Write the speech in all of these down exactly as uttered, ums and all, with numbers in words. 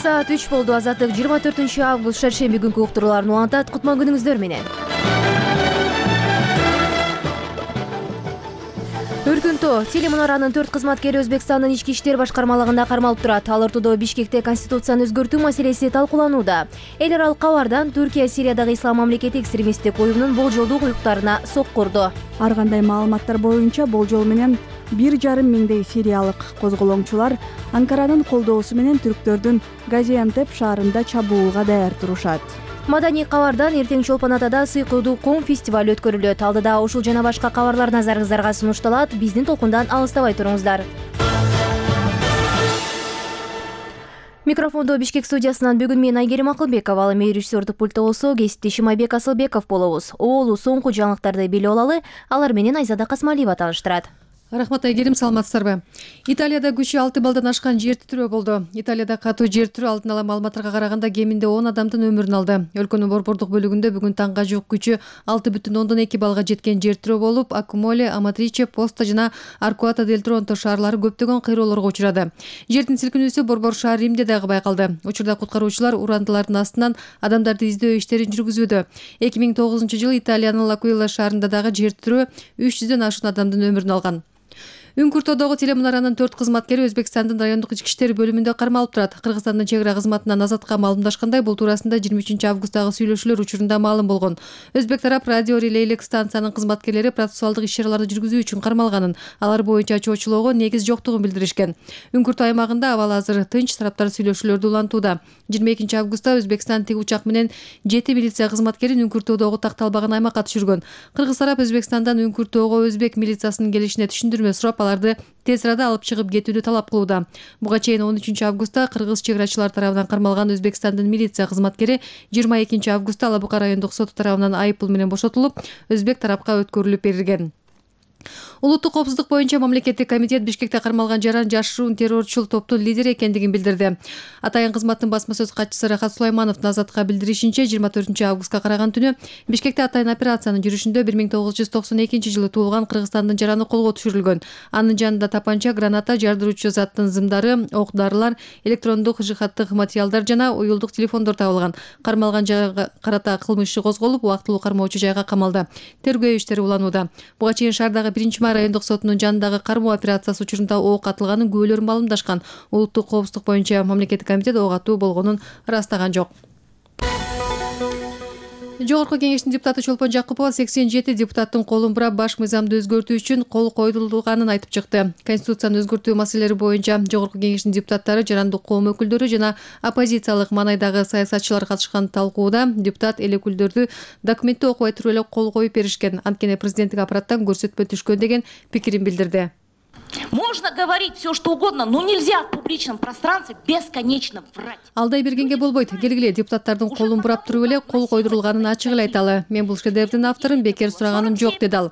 саат үч болду. Азаттык жыйырма төртүнчү август шаршемби күнкү уктурууларын улантат. Кутман күнүңүздөр менен. Өркүнтөө телемунаранын төрт кызматкери Өзбекстандын ички иштер башкармалыгында кармалып турат. Ал ортодо Бишкекте конституцияны өзгөртүү маселеси талкууланууда. Эл аралык кабардан Түркия Сириядагы ислам мамлекети экстремисттик уюмунун болжолдуу уюктарына соккурду. Ар кандай маалыматтар боюнча болжол менен бир жарым миңдей сириялык козголоңчулар Анкаранын колдоосу менен түрктөрдүн Газиантеп шаарында чабуулга даяр турушат. Маданий кабардан эртең Чолпон Атада сыйкылдуу ком фестиваль өткөрүлөт. Алдыда ушул жана башка кабарлар назарыңыздарга сунушталат. Биздин толкундан алыстабай туруңуздар. Микрофондо Бишкек студиясынан бүгүн мен Айгерим Акылбекова, ал эми режиссердук пультта болсо кесиптешим Айбек Асылбеков болобуз. Оолу соңку жаңылыктарды билип алалы. Алар менен Айзада Касмалиева тааныштырат. Рахмат Айгерим, саламатсыздарбы? Италияда күчү алты балдан ашкан жер титирөө болду. Италияда катуу жер титирөө алдын ала маалыматтарга караганда кеминде он адамдын өмүрүн алды. Өлкөнүн борбордук бөлүгүндө бүгүн таңга жук күчү алты бүтүн ондон эки балга жеткен жер титирөө болуп, Акумоле, Аматриче, Поста жана Аркуата дель Тронто шаарлары көптөгөн кыйроолорго учурады. Жердин силкинүүсү борбор шаар Римде дагы байкалды. Учурда куткаруучулар урандылардын астынан адамдарды издөө иштерин жүргүзүүдө. эки миң тогузунчу жылы Италиянын Лакуила шаарында дагы жер титирөө үч жүздөн ашуун адамдын өмүрүн алган. Үңкүртөөдөгү телемунаранын төрт кызматкери Өзбекстандын райондук ички иштер бөлүмүндө кармалып турат. Кыргызстандын чек ара кызматынан Азатка маалымдашкандай, бул туурасында жыйырма үчүнчү августтагы сүйлөшүүлөр учурунда маалым болгон. Өзбек тарап радио релейлик станциянын кызматкерлери процессуалдык иш-чараларды жүргүзүү үчүн кармалганын, алар боюнча чоочулоого негиз жоктугун билдиришкен. Үңкүртөө аймагында абал азыр тынч, тараптар сүйлөшүүлөрдү улантууда. жыйырма экинчи августта Өзбекстан тик учак менен жети милиция кызматкерин Үңкүртөөдөгү такталбаган аймакка түшүргөн. Кыргыз тарап Өзбекстандан Үңкүртөөгө өзбек милициясынын келишине түшүндүрмө сурап, аларды тез арада алып чыгып кетүүнү талап кылууда. Буга чейин он үчүнчү августта кыргыз чек арачылар тарабынан кармалган Өзбекстандын милиция кызматкери жыйырма экинчи августта Алабы Бука райондук соту тарабынан айып пул менен бошотулуп, өзбек тарапка өткөрүлүп берилген. Улуттук коопсуздук боюнча мамлекеттик комитет Бишкекте кармалган жаран жашыруун террорчул топтун лидери экендигин билдирди. Атайын кызматтын басма сөз катчысы Рахат Сулаймановдун Азатка билдиришинче, жыйырма төртүнчү августка караган түнү Бишкекте атайын операциянын жүрүшүндө бир миң тогуз жүз токсон экинчи жылы туулган Кыргызстандын жараны колго түшүрүлгөн. Анын жанында тапанча, граната, жардыруучу заттын зымдары, ок-дарылар, электрондук жихаттык материалдар жана уюлдук телефондор табылган. Кармалган жайга карата кылмыш иши козголуп, убактылуу кармоочу жайга камалды. Тергөө иштери уланууда. Буга чейин шаардагы биринчи май райондук сотунун жанындагы кармоо операциясы учурунда ок атылганын күбөлөрү маалымдашкан. Улуттук коопсуздук боюнча мамлекеттик комитет ок атуу болгонун ырастаган жок. Жогорку кеңештин депутаты Чолпон Жакупова сексен жети депутаттын колун бурап баш мыйзамды өзгөртүү үчүн кол койдурулганын айтып чыкты. Конституцияны өзгөртүү маселелери боюнча Жогорку кеңештин депутаттары, жарандык коом өкүлдөрү жана оппозициялык маанайдагы саясатчылар катышкан талкууда депутат эл өкүлдөрдү документти окубай туруп эле кол коюп беришкен. Анткени президенттик аппараттан көрсөтмө түшкөн деген пикирин билдирди. Можно говорить все, что угодно, но нельзя в публичном пространстве бесконечно врать. Алдай бергенге болбойт. Келгиле депутаттардын колун бурап туруп эле кол койдурулганын ачык эле айталы. Мен бул шедеврдин авторун бекер сураганым жок, деди ал.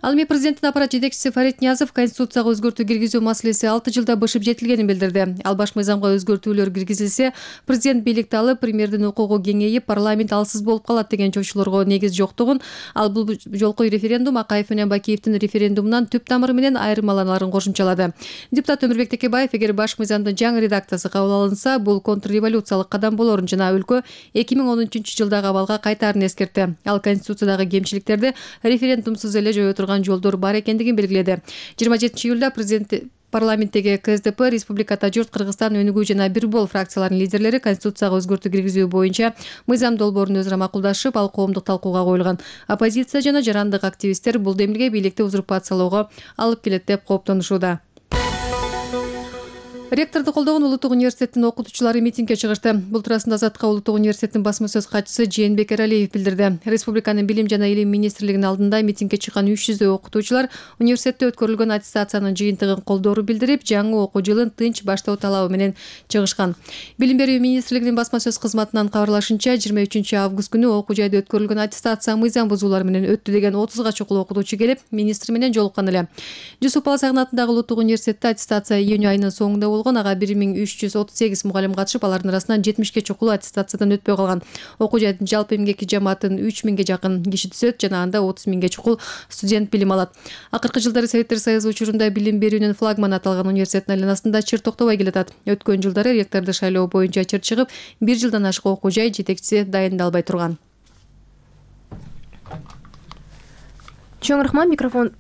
Ал эми президенттин аппарат жетекчиси Фарид Ниязов конституцияга өзгөртүү киргизүү маселеси алты жылда бышып жетилгенин билдирди. Ал баш мыйзамга өзгөртүүлөр киргизилсе, президент бийликти алып, премьердин укугу кеңейип, парламент алсыз болуп калат деген чочулорго негиз жоктугун, ал бул жолку референдум Акаев менен Бакиевдин референдумунан түп тамыры менен айырмаланаарын кошумчалады. Депутат Өмүрбек Текебаев, эгер баш мыйзамдын жаңы редакциясы кабыл алынса, бул контрреволюциялык кадам болорун жана өлкө эки миң он үчүнчү жылдагы абалга кайтаарын эскертти. Ал конституциядагы кемчиликтерди референдумсуз эле жое турган жолдор бар экендигин белгиледи. жыйырма жетинчи июлда президент парламенттеги КСДП, Республика Тажурт, Кыргызстан, Өнүгүү жана Бирбол фракцияларынын лидерлери конституцияга өзгөртүү киргизүү боюнча мыйзам долбоорун өзара макулдашып, ал коомдук талкууга коюлган. Оппозиция жана жарандык активисттер бул демилге бийликти узурпациялоого алып келет деп кооптонушууда. Ректорду колдогон Улуттук университеттин окутуучулары митингге чыгышты. Бул туурасында Азатка Улуттук университеттин басма сөз катчысы Жээнбек Эралиев билдирди. Республиканын билим жана илим министрлигинин алдында митингге чыккан үч жүздөй окутуучулар университетте өткөрүлгөн аттестациянын жыйынтыгын колдоорун билдирип, жаңы окуу жылын тынч баштоо талабы менен чыгышкан. Билим берүү министрлигинин басма сөз кызматынан кабарлашынча, жыйырма үчүнчү август күнү окуу жайда өткөрүлгөн аттестация мыйзам бузуулар менен өттү деген отузга чукул окутуучу келип, министр менен жолуккан эле. Жусуп Баласагын атындагы Улуттук университетте аттестация июнь айынын соңунда болгон. Ага бир миң үч жүз отуз сегиз мугалим катышып, алардын арасынан жетимишке чукул аттестациядан өтпөй калган. Окуу жайдын жалпы эмгек жамаатын үч миңге жакын киши түзөт жана анда отуз миңге чукул студент билим алат. Акыркы жылдары Советтер Союзу учурунда билим берүүнүн флагманы аталган университеттин айланасында чыр токтобой келатат. Өткөн жылдары ректорду шайлоо боюнча чыр чыгып, бир жылдан ашык окуу жай жетекчиси дайындалбай турган. Чоң рахмат, микрофон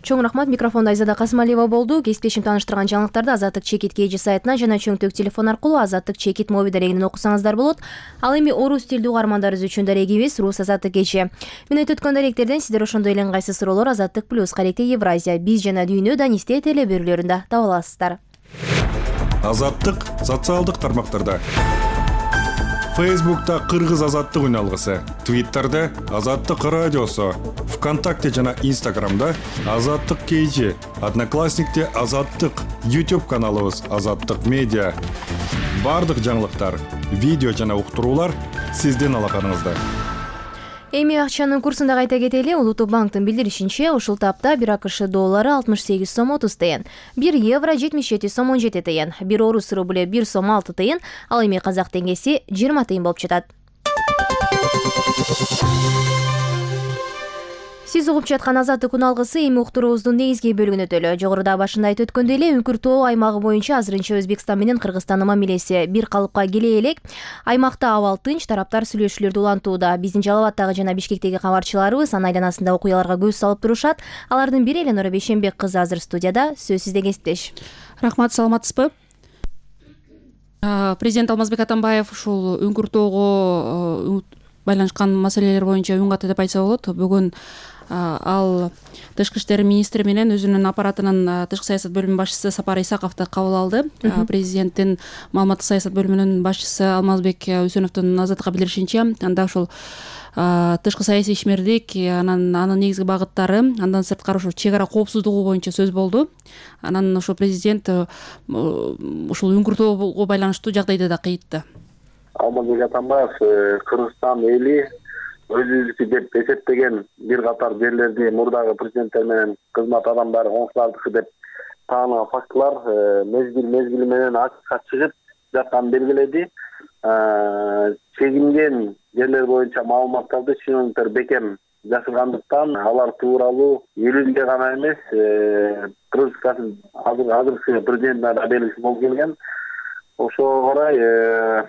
Чоң рахмат, микрофонда Айзада Касымалиева болду. Кесиптешим тааныштырган жаңылыктарды Азаттык Чекит кей жи сайтына жана чөңтөк телефон аркылуу Азаттык Чекит моби дарегинен окусаңыздар болот. Ал эми орус тилдүү угармандарыбыз үчүн дарегибиз Рус Азаттык кечи. Мүнөт өткөн даректерден сиздер ошондой эле ыңгайсыз суроолор Азаттык плюс Каректе Евразия, биз жана дүйнө Данисте теле берүүлөрүндө таба аласыздар. Азаттык социалдык тармактарда. Фейсбукта Кыргыз Азаттык үналгысы, Твиттерде Азаттык радиосу, ВКонтакте жана Инстаграмда Азаттык кей жи, Одноклассникте Азаттык, YouTube каналыбыз Азаттык медиа. Бардык жаңылыктар, видео жана уктуруулар сиздин алаканыңызда. Эми акчанын курсунда кайта кетели. Улуттук банктын билдиришинче, ушул тапта бир АКШ доллары алтымыш сегиз сом отуз тыйын, бир евро жетимиш жети сом он жети тыйын, бир орус рубле бир сом алты тыйын, ал эми казак теңгеси жыйырма тыйын болуп жатат. Сиз угуп жаткан Азаттык үналгысы эми уктуруубуздун негизги бөлүгүнө өтөлү. Жогоруда башында айтып өткөндөй эле, Үңкүр тоо аймагы боюнча азырынча Өзбекстан менен Кыргызстандын мамилеси бир калыпка келе элек. Аймакта абал тынч, тараптар сүйлөшүүлөрдү улантууда. Биздин Жалал абаддагы жана Бишкектеги кабарчыларыбыз анын айланасында окуяларга көз салып турушат. Алардын бири Эленора Бейшенбек кызы азыр студияда. Сөз сизде, кесиптеш. Рахмат, саламатсызбы? Президент Алмазбек Атамбаев ушул Үңкүр тоого байланышкан маселелер боюнча үн катты деп айтса болот. Бүгүн ал тышкы иштер министри менен өзүнүн аппаратынын тышкы саясат бөлүмүнүн башчысы Сапар Исаковду кабыл алды. Президенттин маалыматтык саясат бөлүмүнүн башчысы Алмазбек Үсөновдун Азаттыкка билдиришинче, анда ушул тышкы саясий ишмердик, анан анын негизги багыттары, андан сырткары ушул чек ара коопсуздугу боюнча сөз болду. Анан ошол президент ушул Үңкүр тоого байланыштуу жагдайды да кыйтты. Алмазбек Атамбаев Кыргызстан эли өзүнүкү деп эсептеген бир катар жерлерди мурдагы президенттер менен кызмат адамдары коңшулардыкы деп таанаган фактылар мезгил мезгили менен ачыкка чыгып жатканын белгиледи. Чегинген жерлер боюнча маалыматтарды чиновниктер бекем жашыргандыктан алар тууралуу элинде гана эмес, Кыргызстандын азыркы президентине да белгисиз болуп келген. Ошого орай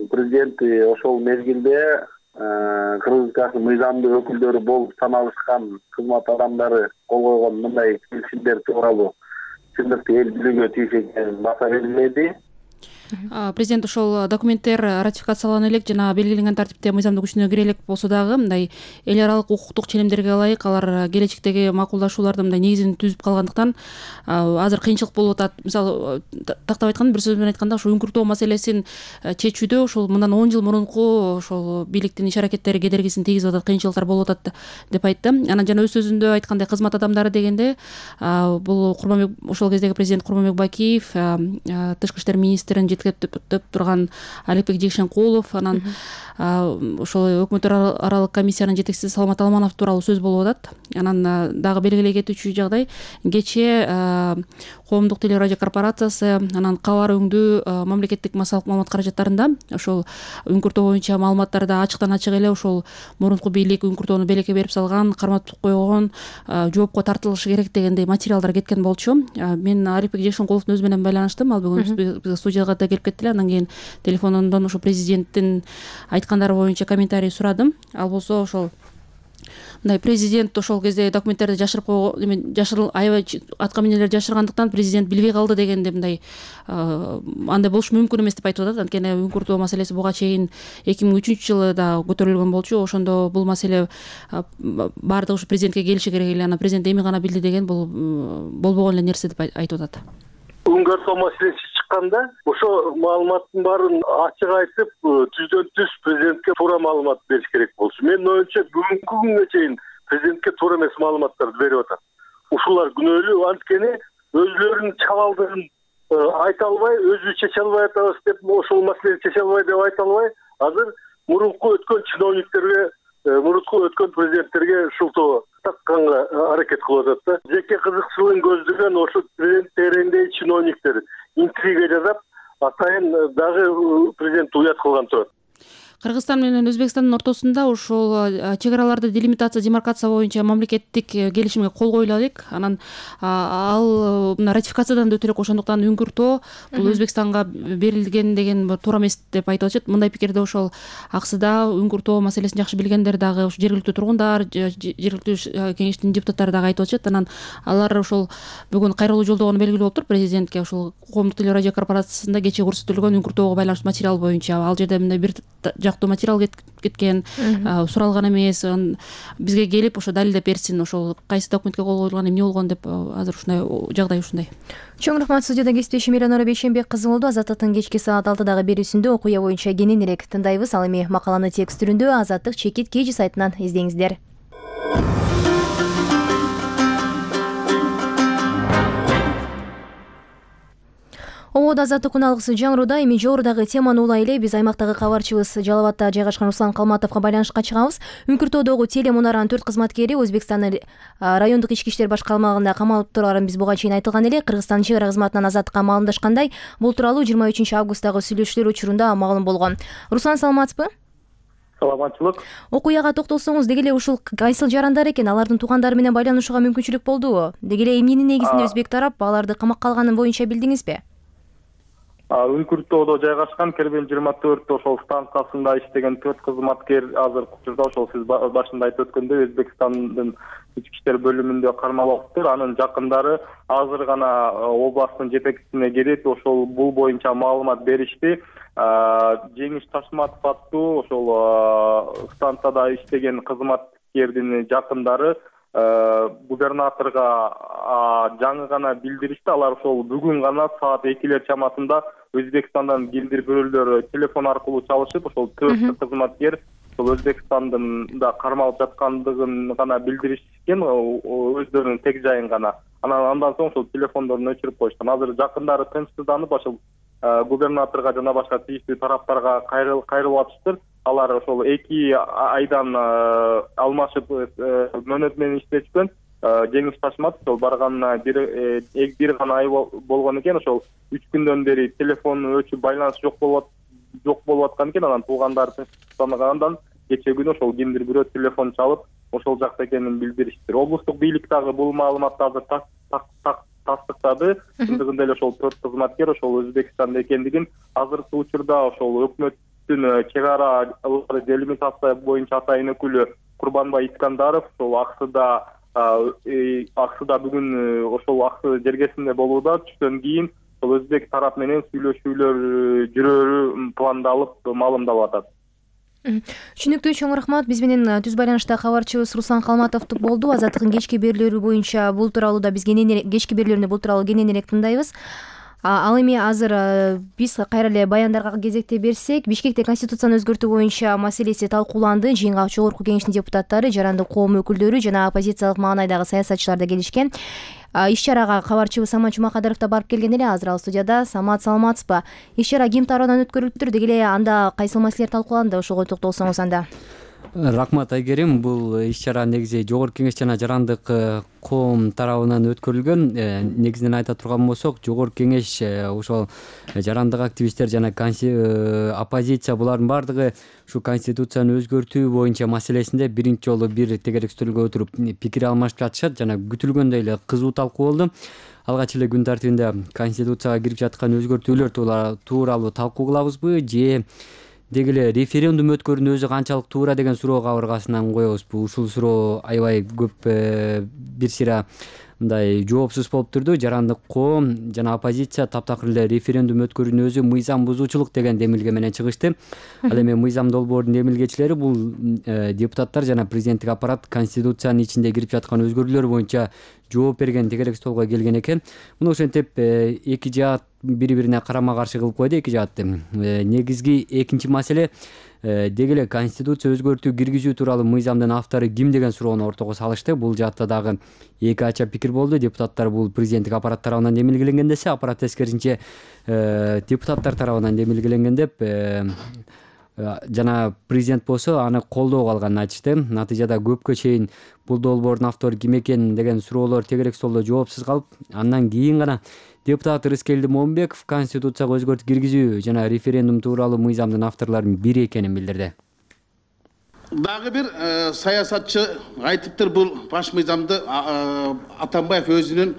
президент ошол мезгилде Кыргызстандын мыйзамдуу өкүлдөрү болуп саналышкан кызмат адамдары кол койгон мындай келишимдер тууралуу чындыкты эл билүүгө тийиш экенин баса белгиледи. Президент ошол документтер ратификациялана элек жана белгиленген тартипте мыйзамдуу күчүнө кире элек болсо дагы мындай эл аралык укуктук ченемдерге ылайык алар келечектеги макулдашууларды мындай негизин түзүп калгандыктан азыр кыйынчылык болуп атат. Мисалы, тактап айтканда, бир сөз менен айтканда, ошол Үңкүр тоо маселесин чечүүдө ошол мындан он жыл мурунку ошол бийликтин иш аракеттери кедергисин тийгизип атат, кыйынчылыктар болуп атат деп айтты. Анан жана өз сөзүндө айткандай, кызмат адамдары дегенде бул Курманбек, ошол кездеги президент Курманбек Бакиев, тышкы иштер министрин жетектеп турган Аликбек Жекшенкулов, анан ошол өкмөт аралык комиссиянын жетекчиси Саламат Алманов тууралуу сөз болуп атат. Анан дагы белгилей кетүүчү жагдай, кечээ коомдук телерадио корпорациясы, анан кабар өңдүү мамлекеттик массалык маалымат каражаттарында ошол Үңкүр тоо боюнча маалыматтарды ачыктан ачык эле ошол мурунку бийлик Үңкүр тоону белекке берип салган, карматып койгон, жоопко тартылышы керек дегендей материалдар кеткен болчу. Мен Аликбек Жекшенкуловдун өзү менен байланыштым. Ал бүгүн бизге студияга да келип кетти эле. Андан кийин телефондон ошо президенттин айткандары боюнча комментарий сурадым. Ал болсо ошол мындай, президент ошол кезде документтерди жашырып койгон, жашырыл аябай аткаминелерди жашыргандыктан президент билбей калды дегенде мындай андай болушу мүмкүн эмес деп айтып атат. Анткени Үңкүр тоо маселеси буга чейин эки миң үчүнчү жылы да көтөрүлгөн болчу. Ошондо бул маселе баардыгы ушу президентке келиши керек эле, анан президент эми гана билди деген бул болбогон эле нерсе деп айтып атат. Үңкүр тоо маселеси чыкканда ошо маалыматтын баарын ачык айтып, түздөн түз президентке туура маалымат бериш керек болчу. Менин оюмча бүгүнкү күнгө чейин президентке туура эмес маалыматтарды берип атат. Ушулар күнөөлүү, анткени өзүлөрүнүн чабалдыгын айта албай, өзүбүз чече албай атабыз деп, ошол маселени чече албай деп айта албай, азыр мурунку өткөн чиновниктерге, мурунку өткөн президенттерге шултоо такканга аракет кылып атат да. Жеке кызыкчылыгын көздөгөн ошо президент тереңдеги чиновниктер интрига жасап атайын дагы президентти уят кылган турат. Кыргызстан менен Өзбекстандын ортосунда ушул чек араларды делимитация демаркация боюнча мамлекеттик келишимге кол коюла элек, анан ал мына ратификациядан да өтө элек, ошондуктан үңкүртөө бул Өзбекстанга берилген деген туура эмес деп айтып атышат. Мындай пикирди ошол аксыда үңкүртөө маселесин жакшы билгендер дагы, жергиликтүү тургундар, жергиликтүү кеңештин депутаттары дагы айтып атышат. Анан алар ошол бүгүн кайрылуу жолдогону белгилүү болуптур президентке. Ошол коомдук телерадио корпорациясында кечээ көрсөтүлгөн үңкүртөөгө байланыштуу материал боюнча ал жерде мындай бир материал кеткен, суралган эмес, бизге келип ошо далилдеп берсин, ошол кайсы документке кол коюлган, эмне болгон деп. Азыр ушундай жагдай ушундай. Чоң рахмат. Студияда кесиптешим Элонора Бейшенбек кызы болду. Азаттыктын кечки саат алтыдагы берүүсүндө окуя боюнча кененирээк тындайбыз. Ал эми макаланы текст түрүндө Азаттык чекит кей жи сайтынан издеңиздер. Ободо Азаттык күн алгысы жаңыруда. Эми жогорудагы теманы улай эле биз аймактагы кабарчыбыз Жалал Абадда жайгашкан Руслан Калматовго байланышка чыгабыз. Үңкүртөөдөгү телемунаранын төрт кызматкери Өзбекстандын райондук ички иштер башкармалыгында камалып тургарын биз буга чейин айтылган эле. Кыргызстандын чек ара кызматынан Азаттыкка маалымдашкандай, бул тууралуу жыйырма үчүнчү августтагы сүйлөшүүлөр учурунда маалым болгон. Руслан, саламатсызбы? Саламатчылык. Окуяга токтолсоңуз, деги эле ушул кайсыл жарандар экен, алардын туугандары менен байланышууга мүмкүнчүлүк болдубу? Деги эле эмненин негизинде өзбек тарап аларды камакка алганын боюнча билдиңизби? Үңкүртөөдө жайгашкан Кербен жыйырма төрт ошол станциясында иштеген төрт кызматкер азыркы учурда ошол сиз башында айтып өткөндөй Өзбекстандын ички иштер бөлүмүндө кармалыптыр. Анын жакындары азыр гана областтын жетекчисине келип, ошол бул боюнча маалымат беришти. Жеңиш Ташматов аттуу ошол станцияда иштеген кызматкердин жакындары губернаторго жаңы гана билдиришти. Алар ошол бүгүн гана саат экилер чамасында Өзбекстандан кимдир бирөөлөр телефон аркылуу чалышып, ошол төрт кызматкер ошол Өзбекстанда кармалып жаткандыгын гана билдиришкен, өздөрүнүн тег жайын гана. Анан андан соң ошол телефондорун өчүрүп койушкан. Азыр жакындары тынчсызданып, ошол губернаторго жана башка тийиштүү тараптарга кайрылып атыштыр. Алар ошол эки айдан алмашып мөөнөт менен иштешкен. Жеңиш Ташматов ошол барганына бир бир гана ай болгон экен. Ошол үч күндөн бери телефон өчүп, байланыш жок болуп жок болуп аткан экен. Анан туугандары тынчсыздангандан кечээ күнү ошол кимдир бирөө телефон чалып, ошол жакта экенин билдириштир. Облустук бийлик дагы бул маалыматты азыр тастыктады. Чындыгында эле ошол төрт кызматкер ошол Өзбекстанда экендигин, азыркы учурда ошол өкмөттүн чек ара делимитация боюнча атайын өкүлү Курбанбай Искандаров ошол аксыда аксыда бүгүн ошол аксы жергесинде болууда. Түштөн кийин ошол өзбек тарап менен сүйлөшүүлөр жүрөрү пландалып, маалымдалып атат. Түшүнүктүү, чоң рахмат. Биз менен түз байланышта кабарчыбыз Руслан Калматов болду. Азаттыктын кечки берүүлөрү боюнча бул тууралуу да биз кененирээк кечки берүүлөрүндө бул тууралуу кененирээк тындайбыз. Ал эми азыр биз кайра эле баяндарга кезекте берсек, Бишкекте конституцияны өзгөртүү боюнча маселеси талкууланды. Жыйынга Жогорку кеңештин депутаттары, жарандык коом өкүлдөрү жана оппозициялык маанайдагы саясатчылар да келишкен. Иш-чарага кабарчыбыз Самат Жумакадыров да барып келген эле. Азыр ал студияда. Самат, саламатсызбы? Иш-чара ким тарабынан өткөрүлүптүр? Деги эле анда кайсыл маселелер талкууланды? Ошого токтолсоңуз анда. Рахмат Айгерим. Бул иш-чара негизи Жогорку кеңеш жана жарандык коом тарабынан өткөрүлгөн. Негизинен айта турган болсок, Жогорку кеңеш ошол жарандык активисттер жана оппозиция булардын баардыгы ушу конституцияны өзгөртүү боюнча маселесинде биринчи жолу бир тегерек стөлгө отуруп пикир алмашып жатышат жана күтүлгөндөй эле кызуу талкуу болду. Алгач эле күн тартибинде конституцияга кирип жаткан өзгөртүүлөр тууралуу талкуу кылабызбы же деги эле референдум өткөрүүнүн өзү канчалык туура деген суроо кабыргасынан коебузбу? Ушул суроо аябай көп бир сыйра мындай жоопсуз болуп турду. Жарандык коом жана оппозиция таптакыр эле референдум өткөрүүнүн өзү мыйзам бузуучулук деген демилге менен чыгышты. Ал эми мыйзам долбоордун демилгечилери бул депутаттар жана президенттик аппарат конституциянын ичинде кирип жаткан өзгөрүүлөр боюнча жооп берген тегерек столго келген экен. Муну ошентип эки жаат бири-бирине карама каршы кылып койду. Эки жаатты негизги экинчи маселе деги эле конституция өзгөртүү киргизүү тууралуу мыйзамдын автору ким деген суроону ортого салышты. Бул жаатта дагы эки ача пикир болду. Депутаттар бул президенттик аппарат тарабынан демилгеленген десе, аппарат тескерисинче депутаттар тарабынан демилгеленген деп жана президент болсо аны колдоого алганын айтышты. Натыйжада көпкө чейин бул долбоордун автору ким экен деген суроолор тегерек столдо жоопсуз калып, андан кийин гана депутат Рыскелди Момбеков Конституцияга өзгөртүү киргизүү жана референдум тууралуу мыйзамдын авторлорунун бири экенин билдирди. Дагы бир саясатчы айтыптыр, бул баш мыйзамды Атамбаев өзүнүн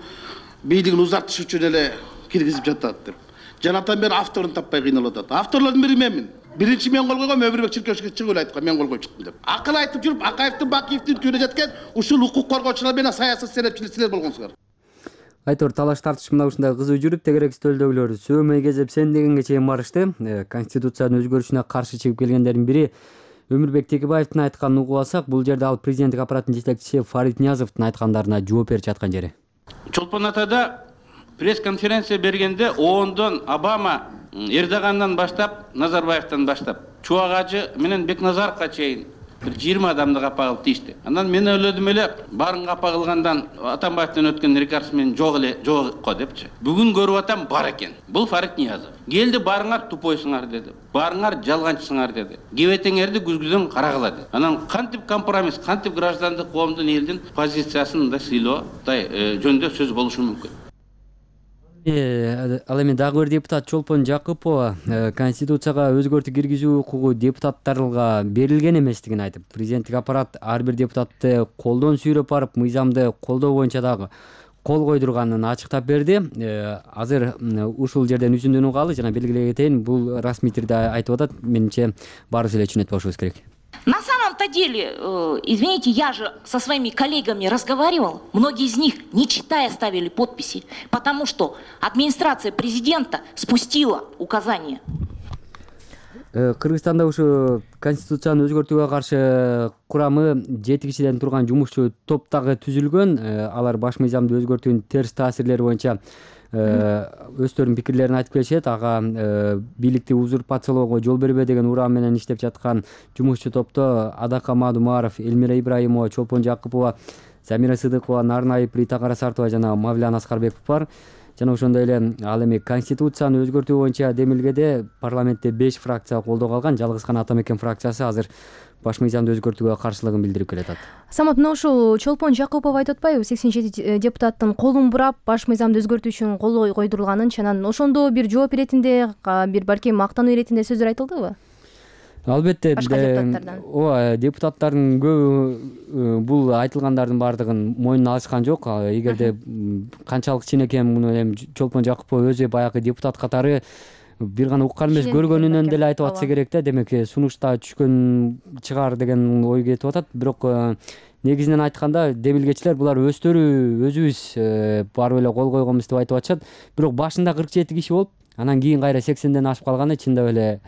бийлигин узартыш үчүн эле киргизип жатат деп. Жанатан бери авторун таппай кыйналып атат. Авторлордун бири менмин. Биринчи мен кол койгом, Өмүрбек Чиркешевич чыгып эле айткан, мен кол коюп чыктым деп. Акыл айтып жүрүп, Акаевдин, Бакиевдин түйүнө жеткен ушул укук коргоочулар менен саясат серепчилер силер болгонсуңар. Айтор талаш тартыш мына ушундай кызуу жүрүп, тегерек стөлдөгүлөр сөмөй кезеп сен дегенге чейин барышты. Конституциянын өзгөрүшүнө каршы чыгып келгендердин бири Өмүрбек Текебаевдин айтканын угуп алсак, бул жерде ал президенттик аппараттын жетекчиси Фарид Ниязовдун айткандарына жооп берип жаткан жери. Чолпон атада пресс-конференция бергенде оондон Обама, Эрдогандан баштап, Назарбаевден баштап, Чубагажы менен Бекназаровго чейин бир жыйырма адамды капа кылып тийишти. Андан мен ойлодум эле, барын капа кылгандан Атамбаевден өткөн рекорд менен жок эле, жок го депчи. Бүгүн көрүп атам, бар экен. Бул Фарид Ниязов. Келди, барыңар тупойсуңар деди. Барыңар жалганчысыңар деди. Кебетеңерди күзгүдөн карагыла деди. Анан кантип компромисс, кантип граждандык коомдун элдин позициясын да сыйлоо, жөндө сөз болушу мүмкүн. Ал эми дагы бир депутат Чолпон Жакыпова Конституцияга өзгөртүү киргизүү укугу депутаттарга берилген эместигин айтып, президенттик аппарат ар бир депутатты колдон сүйрөп барып, мыйзамды колдоо боюнча дагы кол койдурганын ачыктап берди. Азыр ушул жерден үзүндүн угалы жана белгилей кетейин, бул расмий тирде айтып атат. Менимче баарыбыз эле түшүнөт болушубуз керек. На самом-то деле, э, извините, я же со своими коллегами разговаривал, многие из них, не читая, ставили подписи, потому что администрация президента спустила указания. Кыргызстанда ушу Конституцияны өзгөртүүгө каршы курамы жети кишиден турган жумушчу топ дагы түзүлгөн. Алар баш мыйзамды өзгөртүүнүн терс таасирлери боюнча өздөрүнүн пикирлерин айтып келишет. Ага бийликти узурпациялоого жол бербе деген урам менен иштеп жаткан жумушчу топто Адака Мадумаров, Элмира Ибраимова, Чолпон Жакыпова, Замира Сыдыкова, Нарнай Притакара Сартова жана Мавлян Аскарбеков бар. Жана ошондой эле ал эми Конституцияны өзгөртүү боюнча демилгеде парламентте беш фракция колдоого алган. Жалгыз гана Атамекен фракциясы азыр баш мыйзамды өзгөртүүгө каршылыгын билдирип келатат. Самат, мына ушул Чолпон Жакыпов айтып атпайбы, сексен жети депутаттын колун бурап баш мыйзамды өзгөртүү үчүн кол койдурулганын, чанан ошондо бир жооп иретинде, бир балким мактануу иретинде сөздөр айтылдыбы? Албетте, башка депутаттардан. Ооба, депутаттардын көбү бул айтылгандардын баардыгын мойнуна алышкан жок. Эгерде канчалык чын экен, муну эми Чолпон Жакыпов өзү баягы депутат катары бир гана уккан эмес, көргөнүнөн деле айтып атса керек да. Демек, сунушта түшкөн чыгар деген ой кетип атат. Бирок негизинен айтканда демилгечилер булар өздөрү өзүбүз барып эле кол койгонбуз деп айтып атышат. Бирок башында кырк жети киши болуп, анан кийин кайра сексенден ашып калганы чындап эле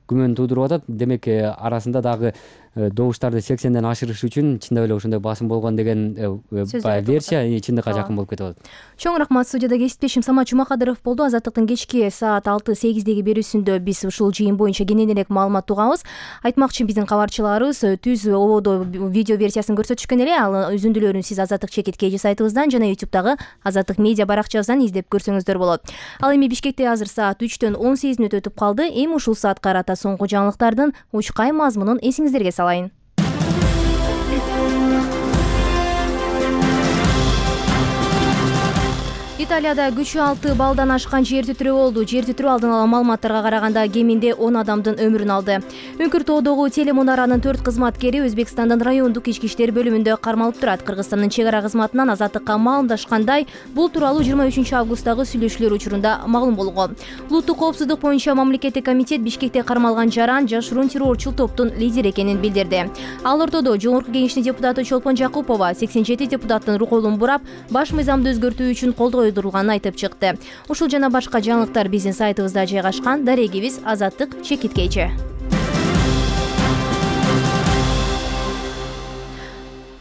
күмөн туудуруп атат. Демек, арасында дагы добуштарды сексенден ашырыш үчүн чындап эле ошондой басым болгон деген версия чындыкка жакын болуп кетип атат. Чоң рахмат. Студияда кесиптешим Самат Жумакадыров болду. Азаттыктын кечки саат алты сегиздеги берүүсүндө биз ушул жыйын боюнча кененирээк маалымат угабыз. Айтмакчы, биздин кабарчыларыбыз түз ободо видео версиясын көрсөтүшкөн эле. Ал үзүндүлөрүн сиз Азаттык чекит кей сайтыбыздан жана ютубтагы Азаттык медиа баракчабыздан издеп көрсөңүздөр болот. Ал эми Бишкекте азыр саат үчтөн он сегиз мүнөт өтүп калды. Эми ушул саатка карата соңку жаңылыктардын учкай мазмунун эсиңиздерге салайын. Италияда күчү алты балдан ашкан жер титирөө болду. Жер титирөө алдын ала маалыматтарга караганда кеминде он адамдын өмүрүн алды. Үңкүр тоодогу телемунаранын төрт кызматкери Өзбекстандын райондук ички иштер бөлүмүндө кармалып турат. Кыргызстандын чек ара кызматынан Азаттыкка маалымдашкандай, бул тууралуу жыйырма үчүнчү августтагы сүйлөшүүлөр учурунда маалым болгон. Улуттук коопсуздук боюнча мамлекеттик комитет Бишкекте кармалган жаран жашыруун террорчул топтун лидери экенин билдирди. Ал ортодо Жогорку Кеңештин депутаты Чолпон Жакыпова сексен жети депутаттын колун бурап, баш мыйзамды өзгөртүү үчүн колдоо койдурулганын айтып чыкты. Ушул жана башка жаңылыктар биздин сайтыбызда жайгашкан. Дарегибиз Азаттык чекит кейчи.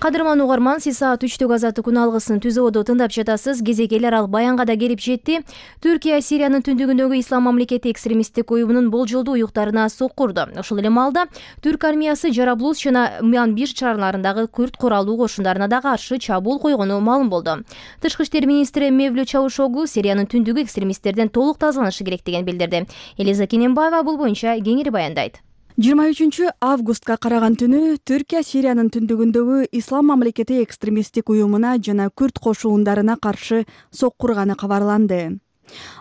Кадырман угарман, сиз саат үчтөгү Азаттык күн алгысын түз ободо тыңдап жатасыз. Кезек эл аралык баянга да келип жетти. Түркия Сириянын түндүгүндөгү Ислам мамлекети экстремисттик уюмунун болжолдуу уюктарына соккурду. Ошол эле маалда Түрк армиясы Жараблус жана Мянбир шаарларындагы күрд куралуу кошундарына да каршы чабуул койгону маалым болду. Тышкы иштер министри Мевлют Чавушоглу Сириянын түндүгү экстремисттерден толук тазаланышы керектигин билдирди. Элиза Кененбаева бул боюнча кеңири баяндайт. жыйырма үчүнчү августка караган түнү Түркия Сириянын түндүгүндөгү Ислам мамлекети экстремисттик уюмуна жана күрд кошуундарына каршы соккурганы кабарланды.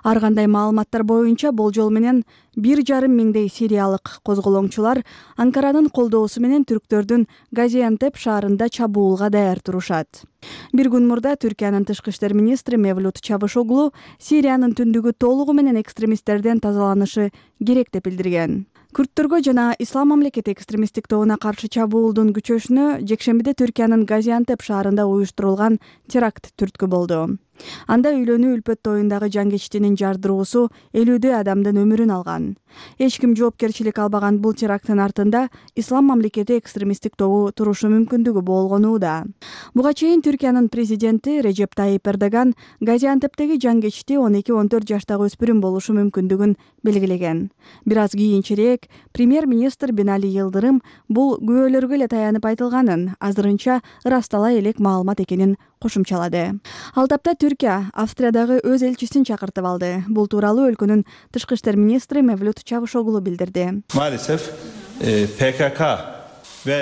Ар кандай маалыматтар боюнча болжол менен бир жарым миңдей сириялык козголоңчулар Анкаранын колдоосу менен түрктөрдүн Газиантеп шаарында чабуулга даяр турушат. Бир күн мурда Түркиянын тышкы иштер министри Мевлют Чавушоглу Сириянын түндүгү толугу менен экстремисттерден тазаланышы керек деп билдирген. Күрдтөргө жана Ислам мамлекети экстремисттик тобуна каршы чабуулдун күчөшүнө жекшембиде Түркиянын Газиантеп шаарында уюштурулган теракт түрткү болду. Анда үйлөнүү үлпөт тоюндагы жангечтинин жардыруусу элүүдөй адамдын өмүрүн алган. Эч ким жоопкерчилик албаган бул теракттын артында Ислам мамлекети экстремисттик тобу турушу мүмкүндүгү болгонууда. Буга чейин Түркиянын президенти Режеп Тайип Эрдоган Газиантептеги жангечти он эки он төрт жаштагы өспүрүм болушу мүмкүндүгүн белгилеген. Бир аз кийинчерээк премьер-министр Бинали Йылдырым бул күбөлөргө эле таянып айтылганын, азырынча ырастала элек маалымат экенин кошумчалады. Ал тапта Түркия Австриядагы өз элчисин чакыртып алды. Бул тууралуу өлкөнүн тышкы иштер министри Мевлют Чавушоглу билдирди. Maalesef P K K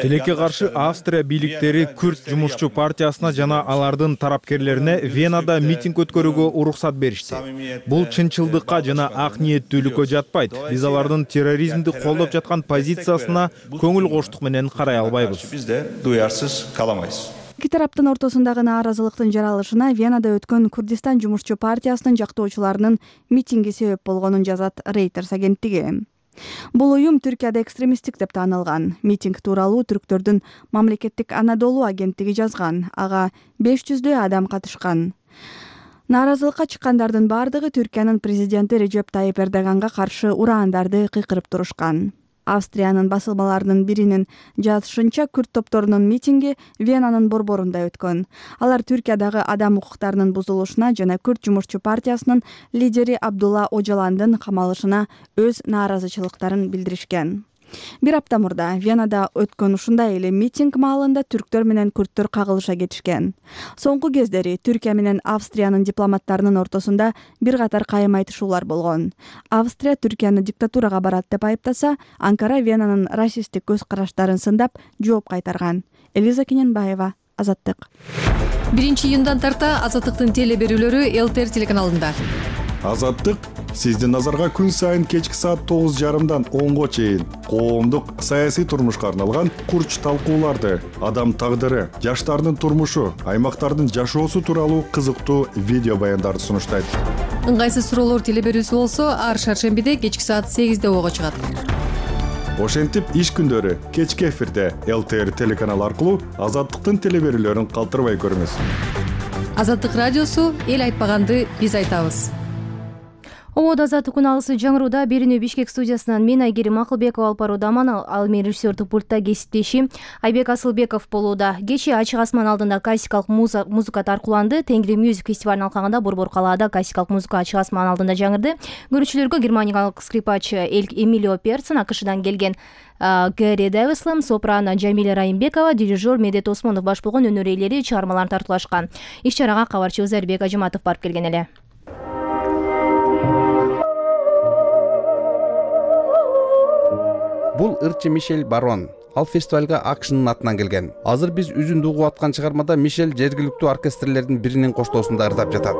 Тилекке каршы Австрия бийликтери Күрд жумушчу партиясына жана алардын тарапкерлерине Венада митинг өткөрүүгө уруксат беришти. Бул чынчылдыкка жана ак ниеттүүлүккө жатпайт. Биз алардын терроризмди колдоп жаткан позициясына көңүл коштук менен карай албайбыз. Биз де дуярсыз каламайбыз. Эки тараптын ортосундагы нааразылыктын жаралышына Венада өткөн Курдистан жумушчу партиясынын жактоочуларынын митинги себеп болгонун жазат Reuters агенттиги. Бул уюм Түркияда экстремисттик деп таанылган. Митинг тууралуу түрктөрдүн мамлекеттик Анадолу агенттиги жазган. Ага беш жүздөй адам катышкан. Нааразылыкка чыккандардын бардыгы Түркиянын президенти Режеп Тайип Эрдоганга каршы ураандарды кыйкырып турушкан. Австриянын басылмаларынын биринин жазышынча күрд топторунун митинги Венанын борборунда өткөн. Алар Түркиядагы адам укуктарынын бузулушуна жана күрд жумушчу партиясынын лидери Абдулла Ожаландын камалышына өз нааразычылыктарын билдиришкен. Бир апта мурда Венада өткөн ушундай эле митинг маалында түрктөр менен күрдтөр кагылыша кетишкен. Соңку кездери Түркия менен Австриянын дипломаттарынын ортосунда бир катар кайым айтышуулар болгон. Австрия Түркияны диктатурага барат деп айыптаса, Анкара Венанын расисттик көз караштарын сындап жооп кайтарган. Элиза Кененбаева, Азаттык. биринчи июндан тарта Азаттыктын теле берүүлөрү Эл Т Р телеканалында. Азаттык сиздин назарга күн сайын кечки саат тогуз жарымдан онго чейин коомдук саясий турмушка арналган курч талкууларды, адам тагдыры, жаштардын турмушу, аймактардын жашоосу тууралуу кызыктуу видео баяндарды сунуштайт. Ыңгайсыз суроолор теле берүүсү болсо, ар шаршембиде кечки саат сегизде ого чыгат. Ошентип иш күндөрү кечки эфирде Эл Т Р телеканалы аркылуу Азаттыктын теле берүүлөрүн калтырбай көрүңүз. Азаттык радиосу эл айтпаганды биз айтабыз. Ободо Азаттык күн алысы жаңырууда Берүүнү Бишкек студиясынан мен Айгерим Акылбекова алып баруудаман, ал менин режиссердик пультта кесиптешим Айбек Асылбеков болууда. Кечээ ачык асман алдында классикалык музыка таркууланды. Тенгри Music фестивалынын алкагында Борбор калаада классикалык музыка ачык асман алдында жаңырды. Көрүүчүлөргө германиялык скрипач Эмилио Перцин, АКШдан келген Гэри Дэвислем, сопрано Жамиля Райымбекова, дирижер Медет Осмонов баш болгон өнөр ээлери чыгармаларын тартуулашкан. Иш чарага кабарчы Зарбек Ажыматов барып келген эле. Бул ырчы Мишель Барон. Ал фестивалга АКШнын атынан келген. Азыр биз үзүндү угуп аткан чыгармада Мишель жергиликтүү оркестрлердин биринин коштоосунда ырдап жатат.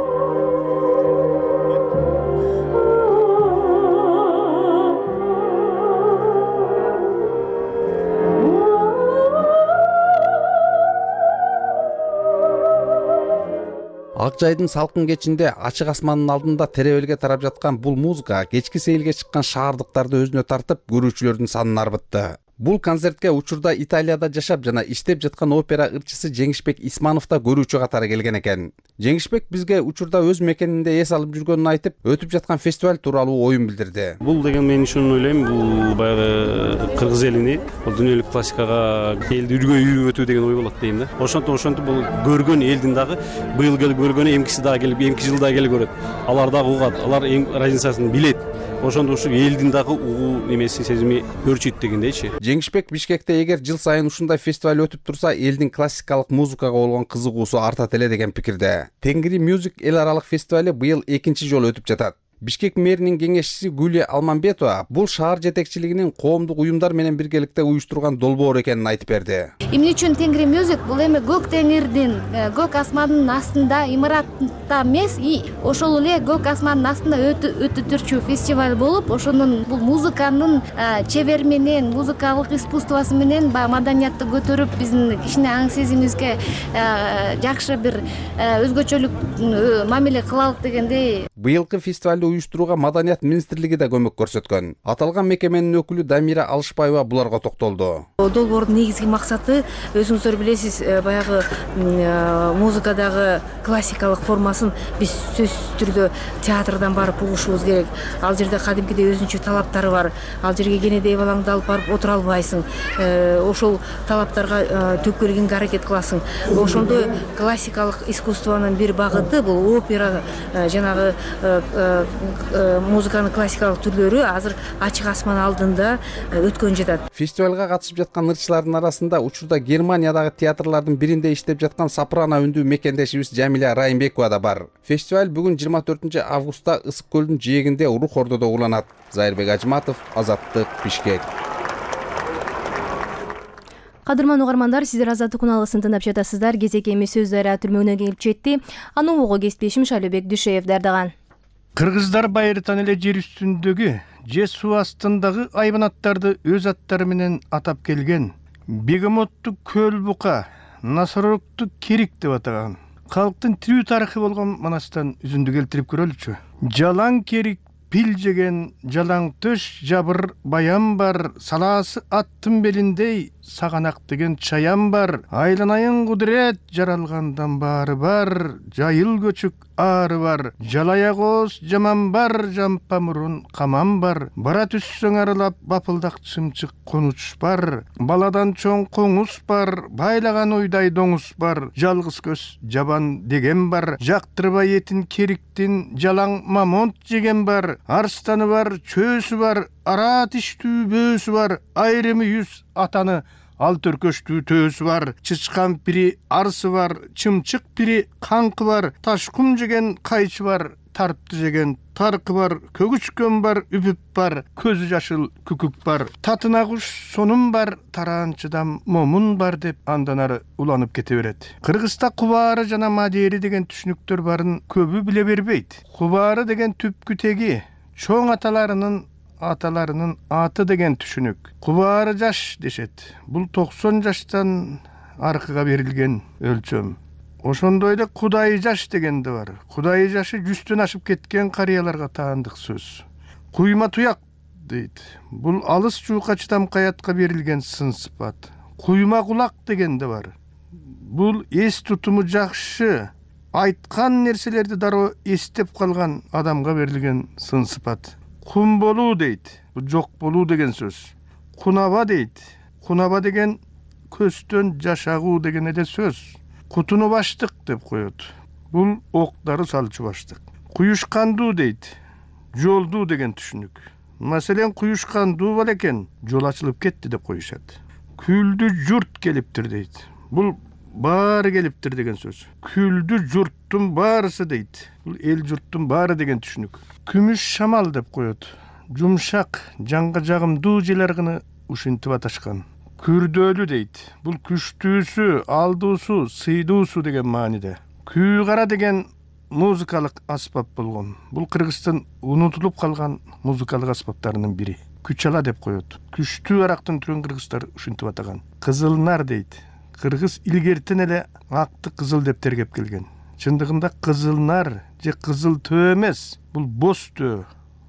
Ак жайдын салкын кечинде ачык асмандын алдында теребелге тарап жаткан бул музыка кечки сейилге чыккан шаардыктарды өзүнө тартып, көрүүчүлөрдүн санын арбытты. Бул концертке учурда Италияда жашап жана иштеп жаткан опера ырчысы Жеңишбек Исманов да көрүүчү катары келген экен. Жеңишбек бизге учурда өз мекенинде эс алып жүргөнүн айтып, өтүп жаткан фестиваль тууралуу оюн билдирди. Бул деген мен ушуну ойлойм, бул баягы кыргыз элини, бул дүйнөлүк классикага элди үргөй үйрүп өтүү деген ой болот дейм да. Ошонтип ошентип бул көргөн элдин дагы быйыл келип көргөнү эмкиси дагы келип, эмки жылда келип көрөт. Алар дагы угат, алар разницасын билет. Ошондо ушу элдин дагы угуу немеси сезими өрчүйт дегендейчи. Жеңишбек Бишкекте эгер жыл сайын ушундай фестиваль өтүп турса, элдин классикалык музыкага болгон кызыгуусу артат эле деген пикирде. Тенгри Music эл аралык фестивали быйыл экинчи жолу өтүп жатат. Бишкек мэринин кеңешчиси Гүлия Алмамбетова бул шаар жетекчилигинин коомдук уюмдар менен биргеликте уюштурган долбоор экенин айтып берди. Эмне үчүн Тенгри Music бул эми көк теңирдин, көк асмандын астында имаратта эмес, ошол эле көк асмандын астында өтө түрчү фестиваль болуп, ошонун бул музыканын чебер менен, музыкалык искусствосу менен баягы маданиятты көтөрүп, биздин кичине аң сезимибизге жакшы бир өзгөчөлүк мамиле кылалык дегендей. Быйылкы фестивалды уюштурууга Маданият министрлиги да көмөк көрсөткөн. Аталган мекеменин өкүлү Дамира Алышбаева буларга токтолду. Долбоордун негизги максаты, өзүңүздөр билесиз, баягы музыкадагы классикалык формасын биз сөзсүз түрдө театрдан барып угушубуз керек. Ал жерде кадимкидей өзүнчө талаптары бар. Ал жерге кенедей балаңды алып барып отура албайсың. Ошол талаптарга төкөлгөнгө аракет кыласың. Ошондой классикалык искусствонун бир багыты бул опера, жанагы музыканын классикалык түрлөрү азыр ачык асман алдында өткөн жатат. Фестивалга катышып жаткан ырчылардын арасында учурда Германиядагы театрлардын биринде иштеп жаткан сопрано үндүү мекендешибиз Жамиля Райымбекова да бар. Фестиваль бүгүн жыйырма төртүнчү августта Ысык көлдүн жээгинде Рух Ордодо уланат. Зайырбек Ажматов, Азаттык, Бишкек. Кадырман угармандар, сиздер Азаттык уналысын тыңдап жатасыздар. Кезек эми сөз дайра түрмөгүнө келип жетти. Аны угууга кесиптешим Шалыбек Дүшеев даярдаган. Кыргыздар байыртан эле жер үстүндөгү же суу астындагы айбанаттарды өз аттары менен атап келген. Бегемотту көл бука, Насорокту керик деп атаган. Калктын тирүү тарыхы болгон манастан үзүндү келтирип көрөлүчү. Жалаң керик пил жеген, жалаң төш жабыр баян бар, салаасы аттын белиндей саганак деген чаян бар. Айланайын кудурет жаралгандан баары бар, жайыл көчүк ары бар. Жалая кооз жаман бар, жампа мурун каман бар. Бара түссөң арылап бапылдак чымчык конуч бар. Баладан чоң коңуз бар, байлаган уйдай доңуз бар. Жалгыз көз жабан деген бар. Жактырбай этин кериктин жалаң мамонт жеген бар. Арстаны бар, чөөсү бар, ара тиштүү бөөсү бар. Айрымы жүз атаны ал төркөштүү төөсү бар. Чычкан пири арсы бар, чымчык пири канкы бар. Ташкум жеген кайчы бар, тарпты жеген таркы бар. Көгүчкөн бар, үпүп бар, көзү жашыл күкүк бар. Татына куш сонун бар, тараанчыдан момун бар деп андан ары уланып кете берет. Кыргызда кубаары жана мадери деген түшүнүктөр барын көбү биле бербейт. Кубаары деген түпкү теги чоң аталарынын аталарынын аты деген түшүнүк. Кубаары жаш дешет. Бул токсон жаштан аркыга берилген өлчөм. Ошондой эле кудай жаш деген да бар. Кудай жашы жүздөн ашып кеткен карыяларга таандык сөз. Куйма туяк дейт. Бул алыс жуука чыдам каятка берилген сын сыпат. Куйма кулак деген да бар. Бул эс тутуму жакшы, айткан нерселерди дароо эстеп калган адамга берилген сын сыпат. Кун болуу дейт. Бул жок болуу деген сөз. Кунаба дейт. Кунаба деген көстөн жашагуу деген эле сөз. Кутуну баштык деп коет. Бул октары салчу баштык. Куюшкандуу дейт. Жолдуу деген түшүнүк. Маселен, куюшкандуу бар экен, жол ачылып кетти деп коюшат. Күлдү журт келиптир дейт. Бул баары келиптир деген сөз. Күлдү журттун баарысы дейт. Бул эл журттун баары деген түшүнүк. Күмүш шамал деп коет. Жумшак, жанга жагымдуу жел аргыны ушинтип аташкан. Күрдөөлүү дейт. Бул күчтүүсү, алдуусу, сыйдуусу деген мааниде. Күү кара деген музыкалык аспап болгон. Бул Кыргыздын унутулуп калган музыкалык аспаптарынын бири. Күчала деп коет. Күчтүү арактын түрүн кыргыздар ушинтип атаган. Кызылнар дейт. Кыргыз илгертен эле акты кызыл деп тергеп келген. Чындыгында кызылнар же кызыл төө эмес. Бул боз төө.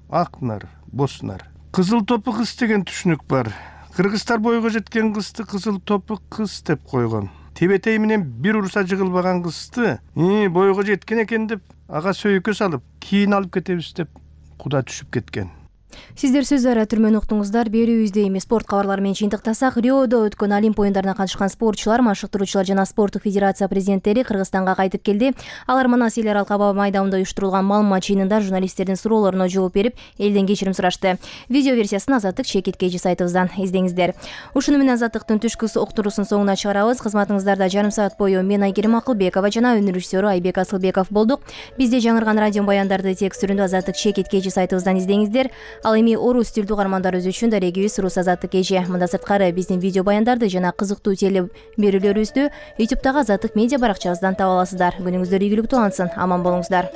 Ак нар, боз нар. Кызыл топу кыз деген түшүнүк бар. Кыргыздар бойго жеткен кызды кызыл топу кыз деп койгон. Тебетей менен бир урса жыгылбаган кызды, "И, бойго жеткен экен" деп ага сөйкө салып, кийин алып кетебиз деп куда түшүп кеткен. Сиздер сөз ара түрмөн уктуңуздар. Берүүбүздө эми спорт кабарлары менен жыйынтыктасак, Риодо өткөн Олимп оюндарына катышкан спортчулар, машыктыруучулар жана спорттук федерация президенттери Кыргызстанга кайтып келди. Алар Манас эл аралык аба майдамында уюштурулган маалымат жыйынында журналисттердин суроолоруна жооп берип, элден кечирим сурашты. Видео версиясын Азаттык чекит кж сайтыбыздан издеңиздер. Ушуну менен Азаттыктын түшкү уктуруусунун соңуна чыгарабыз. Кызматыңыздарда жарым саат бою мен Айгерим Акылбекова жана өнөр режиссеру Айбек Асылбеков болдук. Бизде жаңырган радио баяндарды текст түрүндө Азаттык чекит кж сайтыбыздан издеңиздер. Ал эми орус тилдүү угармандарыбыз үчүн дарегибиз Рус Азаттык кж. Мында сырткары биздин видео баяндарды жана кызыктуу теле берүүлөрүбүздү ютубтагы Азаттык медиа баракчабыздан таба аласыздар. Күнүңүздөр ийгиликтүү улансын. Аман болуңуздар.